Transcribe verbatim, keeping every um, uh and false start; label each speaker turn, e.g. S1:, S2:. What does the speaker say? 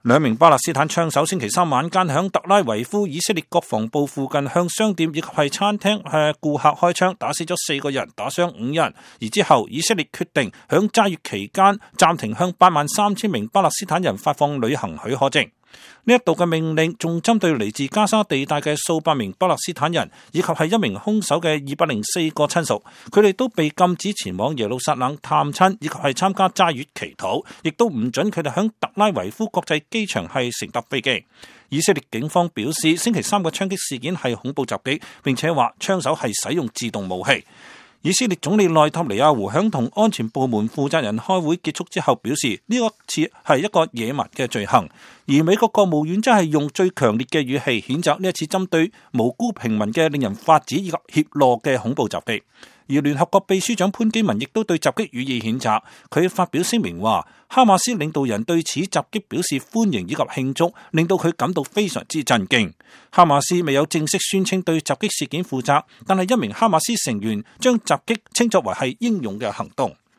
S1: 兩名巴勒斯坦槍手星期三晚間響特拉維夫以色列國防部附近向商店以及係餐廳向顧客開槍，打死咗四個人，打傷五人。而之後以色列決定響齋月期間暫停向八萬三千名巴勒斯坦人發放旅行許可證。呢一度嘅命令仲針對嚟自加沙地帶嘅數百名巴勒斯坦人，以及係一名兇手嘅二百零四個親屬，佢哋都被禁止前往耶路撒冷探親，以及係參加齋月祈禱，亦都唔准佢哋響特拉維夫國際機場係乘搭飛機。以色列警方表示，星期三嘅槍擊事件係恐怖襲擊，並且話槍手係使用自動武器。以色列總理內塔尼亞胡響同安全部門負責人開會結束之後表示，呢個次係一個野蠻嘅罪行，而美國國務院真係用最強烈嘅語氣譴責呢一次針對無辜平民嘅令人髮指以及怯懦嘅恐怖襲擊。而聯合國秘書長潘基文亦都對襲擊予以譴責，佢發表聲明話，哈馬斯領導人對此襲擊表示歡迎以及慶祝，令到佢感到非常之震驚。哈馬斯未有正式宣稱對襲擊事件負責，但係一名哈馬斯成員將襲擊稱作為係英勇嘅行動。